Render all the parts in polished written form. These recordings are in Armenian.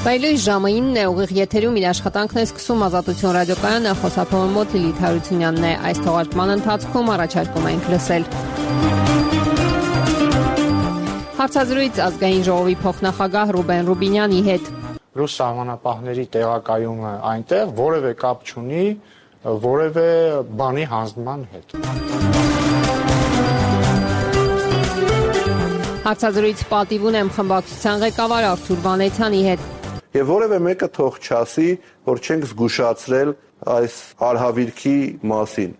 Բայլույս ժամը 9 է, ուղիղ եթերում իր աշխատանքն է սկսում Ազատություն ռադիոկայանը, խոսափողը մոտ Լիլիթ Հարությունյանն է։ Այս թողարկման ընթացքում առաջարկում ենք լսել հարցազրույց ազգային ժողովի փոխնախագահ Ռուբեն Ռուբինյանի հետ։ Ռուս սահմանապահների տեղակայումը այնտեղ որևէ կապ չունի որևէ բանի հանձնման հետ։ Հարցազրույց պատիվ ունեմ խմբակցության ղեկավար Արթուր Վանեցյանի հետ։ Եվ որևէ մեկը թող չասի, որ չենք զգուշացրել այս արհավիրքի մասին։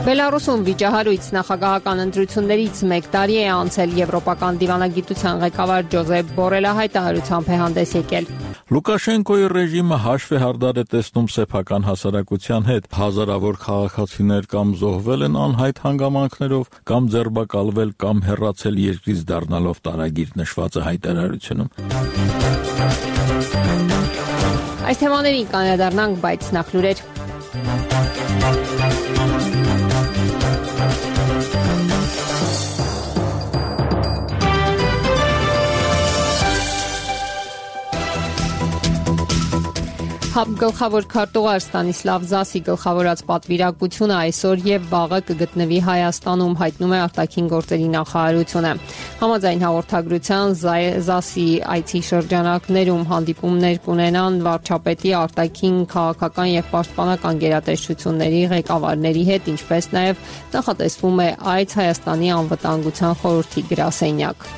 Բելարուսում վիճահարույց նախագահական ընտրություններից 1 տարի է անցել, Եվրոպական դիվանագիտության ղեկավար Ջոզեփ Բորելը հայտարարությամբ է հանդես եկել։ Լուկաշենկոյի ռեժիմը հաշվի հարդար է տեսնում սեփական հասարակության հետ, հազարավոր քաղաքացիներ կամ զոհվել են անհայտ հանգամանքներով, կամ ձերբակալվել, կամ հեռացել երկրից դառնալով տարագիր նշված է հայտարարությունում։ Այս թեմաներին կանրադառնանք, բայց նախ լուրեր։ Գլխավոր քարտուղար Ստանիսլավ Զասի գլխավորած պատվիրակությունը այսօր եւ վաղը կգտնվի Հայաստանում, հայտնում է արտաքին գործերի նախարարությունը։ Համաձայն հաղորդագրության Զասի այցի շրջանակներում հանդիպումներ կունենան վարչապետի, արտաքին, քաղաքական եւ պաշտպանական գերատեսչությունների ղեկավարների հետ, ինչպես նաեւ նախատեսվում է այց Հայաստանի անվտանգության խորհրդի գրասենյակ։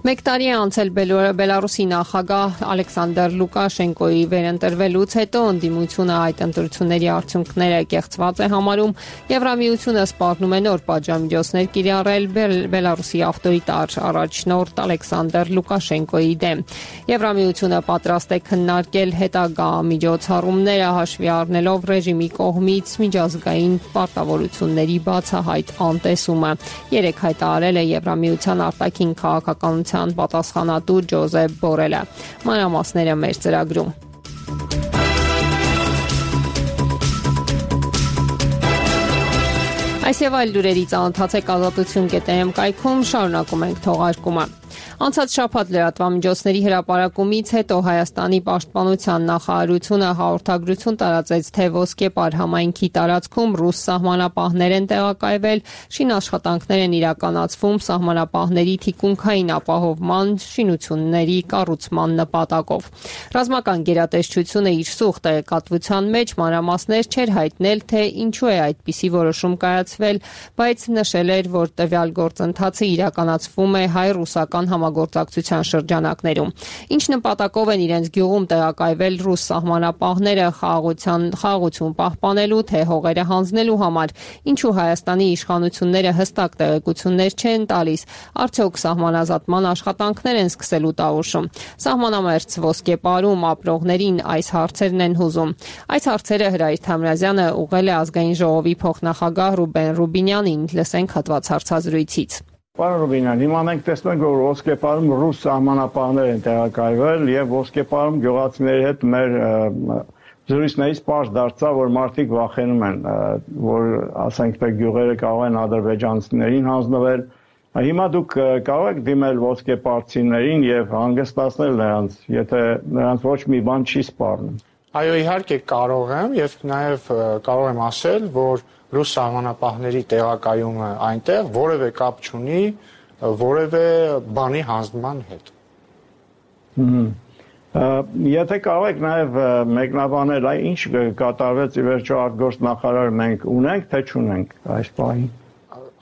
1 տարի է անցել Բելարուսի նախագահ Ալեքսանդր Լուկաշենկոյի վերընտրվելուց հետո ընդդիմությունը այդ ընտրությունների արդյունքները կեղծված է համարում, Եվրամիությունը սպառնում է նոր պատժամիջոցներ կիրառել Բելարուսի ավտորիտար առաջնորդ Ալեքսանդր Լուկաշենկոյի դեմ։ Եվրամիությունը պատրաստ է քննարկել հետագա միջոցառումները հաշվի առնելով ռեժիմի կողմից միջազգային պարտավորությունների բացահայտ անտեսումը։ Երեկ հայտարարել է Եվրամիության արտաքին քաղաքականության պատասխանատու Ջոզեփ Բորելը։ Մանրամասները մեր ծրագրում։ Այս եւ այլ լուրերի ծանոթացեք ազատություն.am կայքում, շարունակում ենք թողարկումը։ Անցած շաբաթ լրատվամիջոցների հրապարակումից հետո Հայաստանի պաշտպանության նախարարությունը հաղորդագրություն տարածեց, թե Ոսկեպար համայնքի տարածքում ռուս սահմանապահներ են տեղակայվել, շինաշխատանքներ են իրականացվում սահմանապահների թիկունքային ապահովման շինությունների կառուցման նպատակով։ Ռազմական գերատեսչությունը իր սուղ տեղեկատվության մեջ մանրամասներ չէր հայտնել, թե ինչու է այդպիսի որոշում կայացվել, բայց նշել էր, որ տվյալ գործընթացը իրականացվում է հայ-ռուսական համագործակցության շրջանակներում։ Ինչ նպատակով են իրենց գյուղում տեղակայվել ռուս սահմանապահները խաղաղություն պահպանելու, թե հողերը հանձնելու համար, ինչու Հայաստանի իշխանությունները հստակ տեղեկություններ չեն տալիս, արդյոք սահմանազատման աշխատանքներ են սկսելու տավուշում։ Սահմանամերձ Ոսկեպարում ապրողներին այս հարցերն են հուզում։ Այս հարցերը Հրայր Թամրազյանը ուղղել է ազգային ժողովի փոխնախագահ Ռուբեն Ռուբինյանին, լսենք հատված հարցազրույցից։ Պարոն Ռուբինյան, հիմա մենք տեսնում ենք, որ Ոսկեպարում ռուս սահմանապահներ են տեղակայվել եւ Ոսկեպարում գյուղացիների հետ մեր զրույցներից պարզ դարձավ, որ մարդիկ վախենում են, որ ասենք թե գյուղերը կարող են ադրբեջանցիներին հանձնվել։ Հիմա դուք կարող եք դիմել ոսկեպարցիներին եւ հանգստացնել նրանց, եթե նրանց ոչ մի բան չի սպառնում։ Այո, իհարկե կարող եմ եւ նաեւ կարող եմ ասել, որ ռուս սահմանապահների տեղակայումը այնտեղ որևէ կապ չունի որևէ բանի հանձնման հետ։ Եթե կարող եք նաեւ մեկնաբանել, ինչ կատարվեց ի վերջո արտգործնախարար մենք ունենք, թե չունենք այս պահին։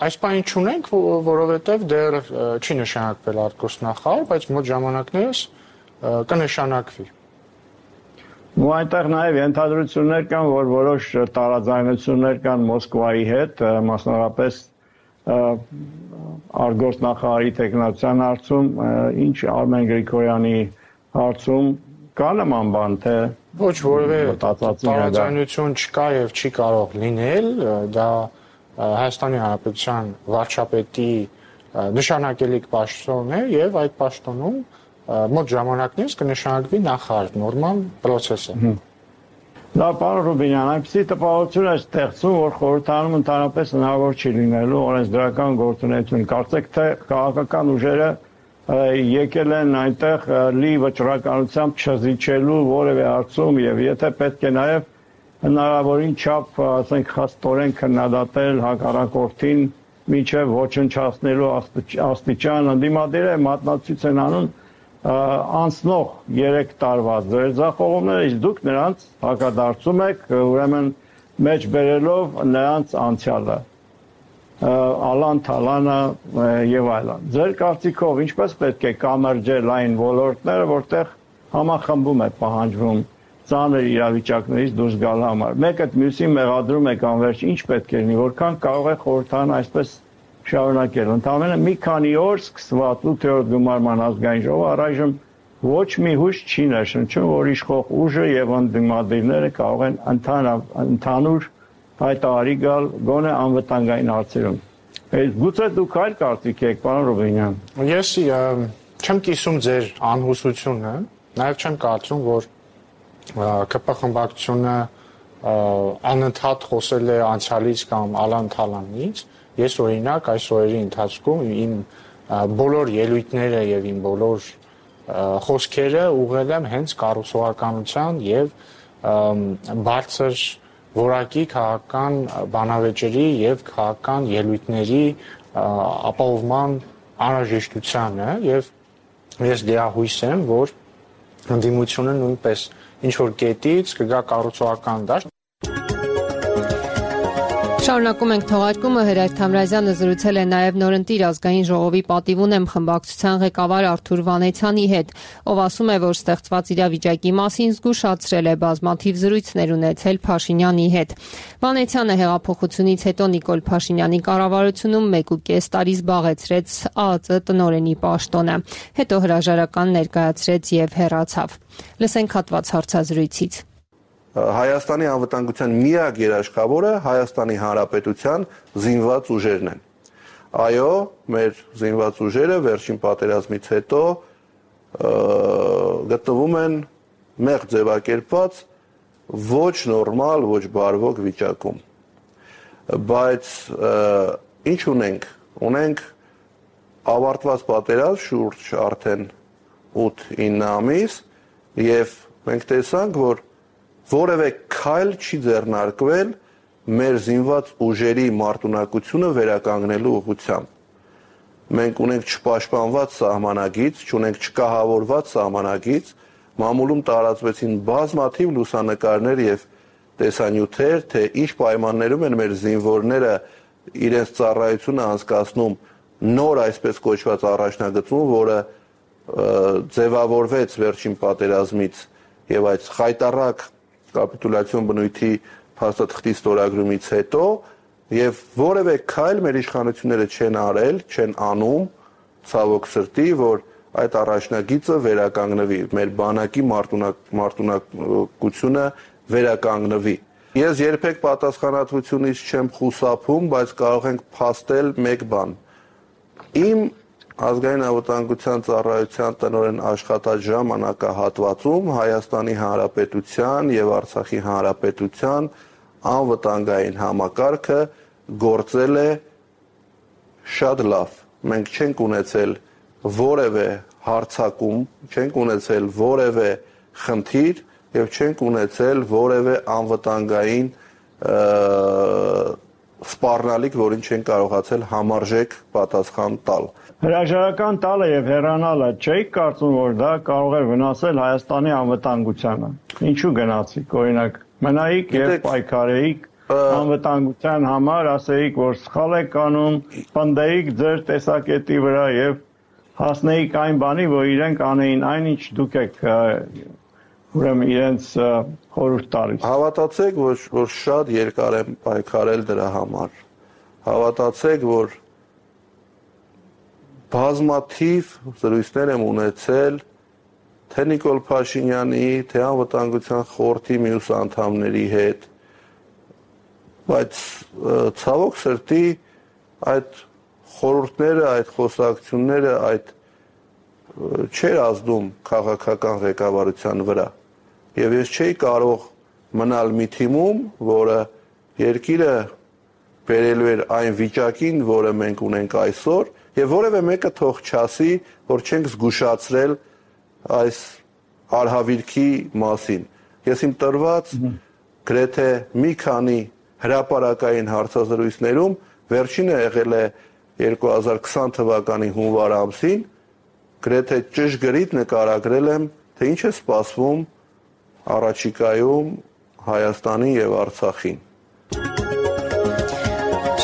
Այս պահին չունենք, որովհետև դեռ չի նշանակվել արտգործնախարար, բայց մոտ ժամանակներս կնշանակվի։ Ու այնտեղ նաև ենթադրություններ կան, որ որոշ տարաձայնություններ կան Մոսկվայի հետ, մասնավորապես արտգործնախարարի տեխնացիան հարցում, ինչ Արմեն Գրիգորյանի հարցում կա նման բան, թե ոչ որևէ տարաձայնություն չկա եւ չի կարող լինել, դա Հայաստանի Հանրապետության վարչապետի նշանակելիք պաշտոն է եւ այդ պաշտոնում մոտ ժամանակներս կնշանակվի նախարար, նորմալ process է։ Դա պարոն Ռուբինյան, այնպեսի տպավորություն է ստեղծում, որ խորհրդարանում ընդհանրապես հնարավոր չի լինելու օրենսդրական գործունեություն։ Կարծեք թե քաղաքական ուժերը եկել են այնտեղ լի վճռականությամբ չզիջելու որևէ հարցում եւ եթե պետք է նաեւ հնարավորին չափ, ասենք, խստորեն քննադատել հակառակորդին մինչև ոչնչացնելու աստիճան ընդդիմադիրը մատնացույց են անում անցնող 3 տարվա ձերձախողումները, իսկ դուք նրանց հակադարձում եք, ուրեմն մեջ բերելով նրանց անցյալը, Ալան Թալանը եւ այլն։ Ձեր կարծիքով ինչպես պետք է կամրջել այն ոլորտները, որտեղ համախմբում է պահանջվում ծանր իրավիճակներից դուրս գալ համար։ Մեկը մյուսին մեղադրում է անverջ, ինչ պետք է լինի, որքան կարող է խորհրդարանը այսպես շարունակել։ Ընդամենը մի քանի օր սկսված 8-րդ գումարման ազգային ժողովը առայժմ ոչ մի հույս չի ներշնչում, որ իշխող ուժը եւ ընդդիմադիրները կարող են ընդհանուր հայտարարի գալ գոնե անվտանգային հարցերում։ Գուցե դուք այլ կարծիք եք, պարոն Ռուբինյան։ Ես չեմ կիսում ձեր անհուսությունը, նաեւ չեմ կարծում, որ ԿՊ խմբակցությունը անընդհատ խոսել է անցյալից կամ Ալան Թալանից։ Ես օրինակ այս օրերի ընթացքում իմ բոլոր ելույթները եւ իմ բոլոր խոսքերը ուղղել եմ հենց կառուցողականության եւ բարձր որակի քաղաքական բանավեճերի եւ քաղաքական ելույթների ապահովման անհրաժեշտությանը եւ ես դիահույս եմ, որ ընդդիմությունը նույնպես ինչ որ կետից կգա կառուցողական դաշտ։ Շարունակում ենք թողարկումը, Հրայր Թամրազյանը զրուցել է նաև նորընտիր ազգային ժողովի պատիվ ունեմ խմբակցության ղեկավար Արթուր Վանեցյանի հետ, ով ասում է, որ ստեղծված իրավիճակի մասին զգուշացրել է բազմաթիվ զրույցներ ունեցել Փաշինյանի հետ։ Վանեցյանը հեղափոխությունից հետո Նիկոլ Փաշինյանի կառավարությունում 1.5 տարի զբաղեցրեց ԱԱԾ տնօրենի պաշտոնը, հետո հրաժարական ներկայացրեց եւ հեռացավ։ Լսենք հատված հարցազրույցից։ Հայաստանի անվտանգության միակ երաշխավորը Հայաստանի Հանրապետության զինված ուժերն են։ Այո, մեր զինված ուժերը վերջին պատերազմից հետո գտնվում են մեղ ձևակերպված ոչ նորմալ, ոչ բարվոք վիճակում։ Բայց ինչ ունենք։ Ունենք ավարտված պատերազմ շուրջ արդեն 8-9 ամիս եւ մենք տեսանք, որ որևէ քայլ չի ձեռնարկվել մեր զինված ուժերի մարտունակությունը վերականգնելու ուղղությամբ։ Մենք ունենք չպաշտպանված սահմանագիծ, չունենք չկահավորված սահմանագիծ, մամուլում տարածվեցին բազմաթիվ լուսանկարներ եւ տեսանյութեր, թե ինչ պայմաններում են մեր զինվորները իրենց ծառայությունը անցկացնում նոր այսպես կոչված առաջնագծում, որը ձևավորվեց վերջին պատերազմից եւ այդ խայտառակ կապիտուլյացիոն բնույթի փաստաթղթի ստորագրումից հետո եւ որևէ քայլ մեր իշխանությունները չեն արել, չեն անում, ցավոք սրտի, որ այդ առաջնագիծը վերականգնվի, մեր բանակի մարտունակությունը վերականգնվի։ Ես երբեք պատասխանատվությունից չեմ խուսափում, բայց կարող ենք փաստել մեկ բան։ Իմ ազգային անվտանգության ծառայության տնօրեն աշխատած ժամանակահատվածում Հայաստանի Հանրապետության եւ Արցախի Հանրապետության անվտանգային համակարգը գործել է շատ լավ։ Մենք չենք ունեցել որևէ հարձակում, չենք ունեցել որևէ խնդիր եւ չենք ունեցել որևէ անվտանգային սպառնալիք, որին չեն կարողացել համարժեք պատասխան տալ։ Հրաժարական տալը եւ հեռանալը չէի կարծում, որ դա կարող է վնասել Հայաստանի անվտանգությանը։ Ինչու գնացիք, օրինակ, մնայիք եւ պայքարեիք անվտանգության համար, ասեիք, որ սխալ եք անում, պնդեիք ձեր տեսակետի վրա եւ հասնեիք այն բանի, որ իրենք անեին այնինչ դուք եք ուրեմն իրենց խորհուրդ տալիս։ Հավատացեք, որ շատ երկար եմ պայքարել դրա համար։ Հավատացեք, որ բազմաթիվ զրույցներ եմ ունեցել թե Նիկոլ Փաշինյանի, թե անվտանգության խորհրդի մյուս անդամների հետ, բայց ցավոք սրտի այդ խորհուրդները, այդ խոսակցությունները, այդ չէր ազդում քաղաքական ղեկավարության վրա։ Եվ ես չէի կարող մնալ մի թիմում, որը երկիրը բերելու էր այն վիճակին, որը մենք ունենք այսօր, եւ որևէ մեկը թող չասի, որ չենք զգուշացրել այս արհավիրքի մասին։ Ես իմ տրված գրեթե մի քանի հրապարակային հարցազրույցներում վերջինը եղել է 2020 թվականի հունվար ամսին, գրեթե ճշգրիտ նկարագրել եմ, թե ինչ է սպասվում առաջիկայում Հայաստանին եւ Արցախին։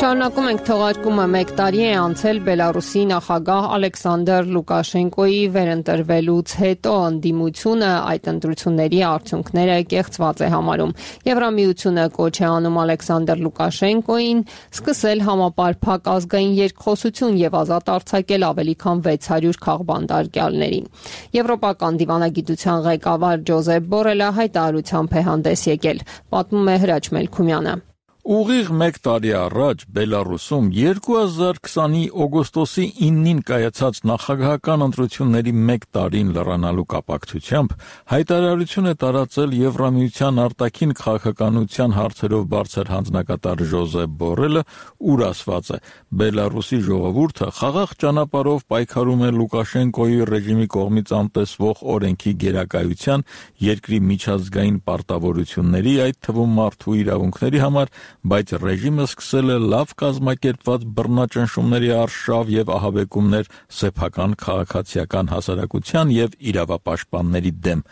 Շարունակում ենք թողարկումը 1 տարի է անցել Բելարուսի նախագահ Ալեքսանդր Լուկաշենկոյի վերընտրվելուց հետո ընդդիմությունը այդ ընտրությունների արդյունքները կեղծված է համարում։ Եվրամիությունը կոչ է անում Ալեքսանդր Լուկաշենկոյին սկսել համապարփակ ազգային երկխոսություն եւ ազատ արձակել ավելի քան 600 քաղբանտարկյալներին։ Եվրոպական դիվանագիտության ղեկավար Ջոզեփ Բորելը հայտարարությամբ է հանդես եկել, պատմում է Հրաչ Մելքումյանը։ Ուղիղ 1 տարի առաջ Բելարուսում 2020-ի օգոստոսի 9-ին կայացած նախագահական ընտրությունների 1 տարին լրանալու կապակցությամբ հայտարարություն է տարածել Եվրամիության արտաքին քաղաքականության հարցերով բարձր հանձնակատար Ջոզեփ Բորելը, ուր ասված է. Բելարուսի ժողովուրդը խաղաղ ճանապարհով պայքարում է Լուկաշենկոյի ռեժիմի կողմից անտեսվող օրենքի գերակայության, երկրի միջազգային պարտավորությունների, այդ թվում մարդու իրավունքների համար, բայց ռեժիմը սկսել է լավ կազմակերպված բռնաճնշումների արշավ եւ ահաբեկումներ սեփական քաղաքացիական հասարակության եւ իրավապաշտպանների դեմ։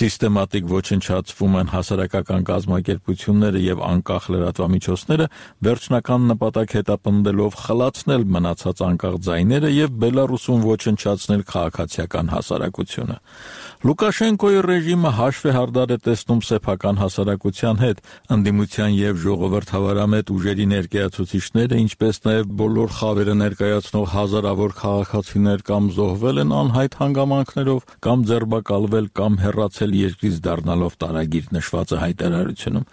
Սիստեմատիկ ոչնչացվում են հասարակական կազմակերպությունները եւ անկախ լրատվամիջոցները, վերջնական նպատակ հետապնդելով խլացնել մնացած անկախ ձայները եւ Բելարուսում ոչնչացնել քաղաքացիական հասարակությունը։ Լուկաշենկոյի ռեժիմը հաշվ է հարդար է տեսնում սեփական հասարակության հետ, ընդդիմության եւ ժողովրդավարամետ ուժերի ներկայացուցիչները, ինչպես նաեւ բոլոր խավերը ներկայացնող հազարավոր քաղաքացիներ կամ զոհվել են անհայտ հանգամանքներով, կամ ձերբակալվել, կամ հեռացել երկրից դառնալով տարագիր նշված է հայտարարությունում։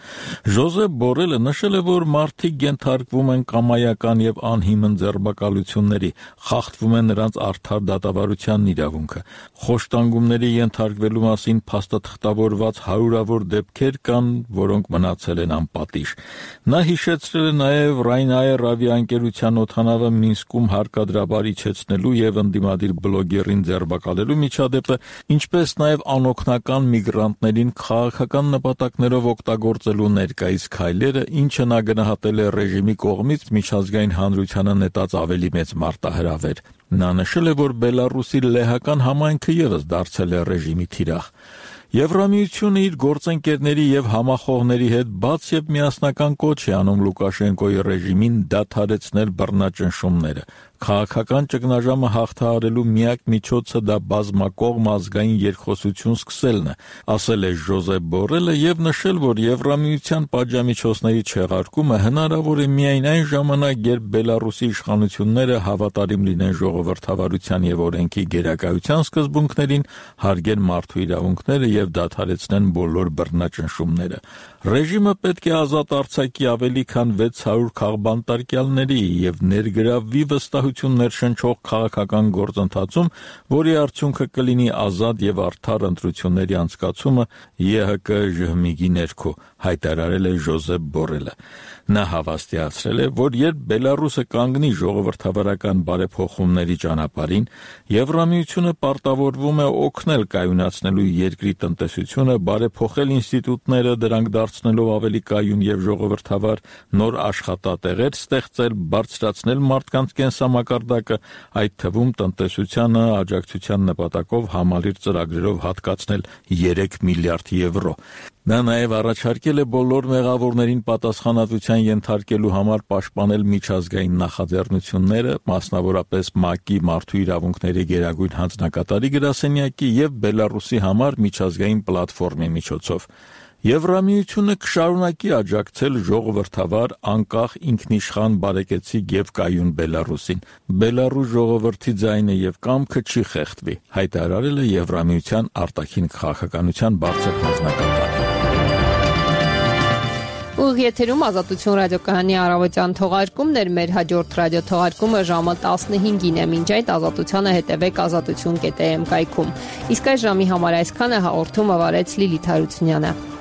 Ջոզեփ Բորելը նշել է, որ մարդիկ ենթարկվում են կամայական եւ անհիմն ձերբակալությունների, խախտվում է նրանց արդար դատավարության իրավունքը, խոշտանգումների ենթարկվելու մասին փաստաթղթավորված հարյուրավոր դեպքեր կան, որոնք մնացել են անպատիժ։ Նա հիշեցրել է նաև Ryanair ավիաընկերության օդանավը Մինսկում հարկադրաբար իջեցնելու եւ ընդդիմադիր բլոգերին ձերբակալելու միջադեպը, ինչպես նաև անօգնական միգրանտներին քաղաքական նպատակներով օգտագործելու ներկայիս քայլերը, ինչը նա գնահատել է ռեժիմի կողմից միջազգային հանրությանը նետած ավելի մեծ մարտահրավեր։ Նա նշել է, որ Բելարուսի լեհական համայնքը ևս դարձել է ռեժիմի թիրախ։ Եվրամիությունը իր գործընկերների եւ համախոհների հետ բաց եւ միասնական կոչ է անում Լուկաշենկոյի ռեժիմին դադարեցնել բռնաճնշումները։ Քաղաքական ճգնաժամը հաղթահարելու միակ միջոցը դա բազմակողմ ազգային երկխոսություն սկսելն է, ասել է Ջոզեփ Բորելը եւ նշել, որ Եվրամիության պատժամիջոցների չեղարկումը հնարավոր է միայն այն ժամանակ, երբ Բելարուսի իշխանությունները հավատարիմ լինեն ժողովրդավարության եւ օրենքի գերակայության սկզբունքներին, հարգեն մարդու իրավունքները եւ դադարեցնեն բոլոր բռնաճնշումները։ Ռեժիմը պետք է ազատ արձակի ավելի քան 600 քաղբանտարկյալների եւ ներգրավվի վստահություններ շնչող քաղաքական գործընթացում, որի արդյունքը կլինի ազատ եւ արդար ընտրությունների անցկացումը ԵՀԿ ԺՀՄԻԳ-ի ներքո, հայտարարել է Ջոզեփ Բորելը։ Նա հավաստիացրել է, որ երբ Բելարուսը կանգնի ժողովրդավարական բարեփոխումների ճանապարհին, Եվրամիությունը պարտավորվում է օգնել կայունացնելու երկրի տնտեսությունը, բարեփոխել ինստիտուտները, դրանք դարձնելով ավելի կայուն եւ ժողովրդավար, նոր աշխատատեղեր ստեղծել, բարձրացնել մարդկանց կենսամակարդակը, այդ թվում տնտեսությանը աջակցության նպատակով համալիր ծրագրերով հատկացնել 3 միլիարդ եվրո։ Նա նաև առաջարկել է բոլոր մեղավորներին պատասխանատվության ենթարկելու համար պաշտպանել միջազգային նախաձեռնությունները, մասնավորապես ՄԱԿ-ի մարդու իրավունքների գերագույն հանձնակատարի գրասենյակի եւ Բելարուսի համար միջազգային պլատֆորմի միջոցով։ Եվրամիությունը կշարունակի աջակցել ժողովրդավար, անկախ, ինքնիշխան, բարեկեցիկ եւ կայուն Բելարուսին։ Բելարուս ժողովրդի ձայնը եւ կամքը չի խեղդվի, հայտարարել է Եվրամիության արտաքին քաղաքականության բարձր հանձնակատարը։ Ուղիղ եթերում Ազատություն ռադիոկայանի առավոտյան թողարկումներ, մեր հաջորդ ռադիոթողարկումը ժամը 15-ին է, մինչ այդ Ազատությանը հետևեք azatutyon.am կայքում։ Իսկ այս ժամի համար այսքանը հաղորդումը վարեց Լիլիթ Հարությունյանը։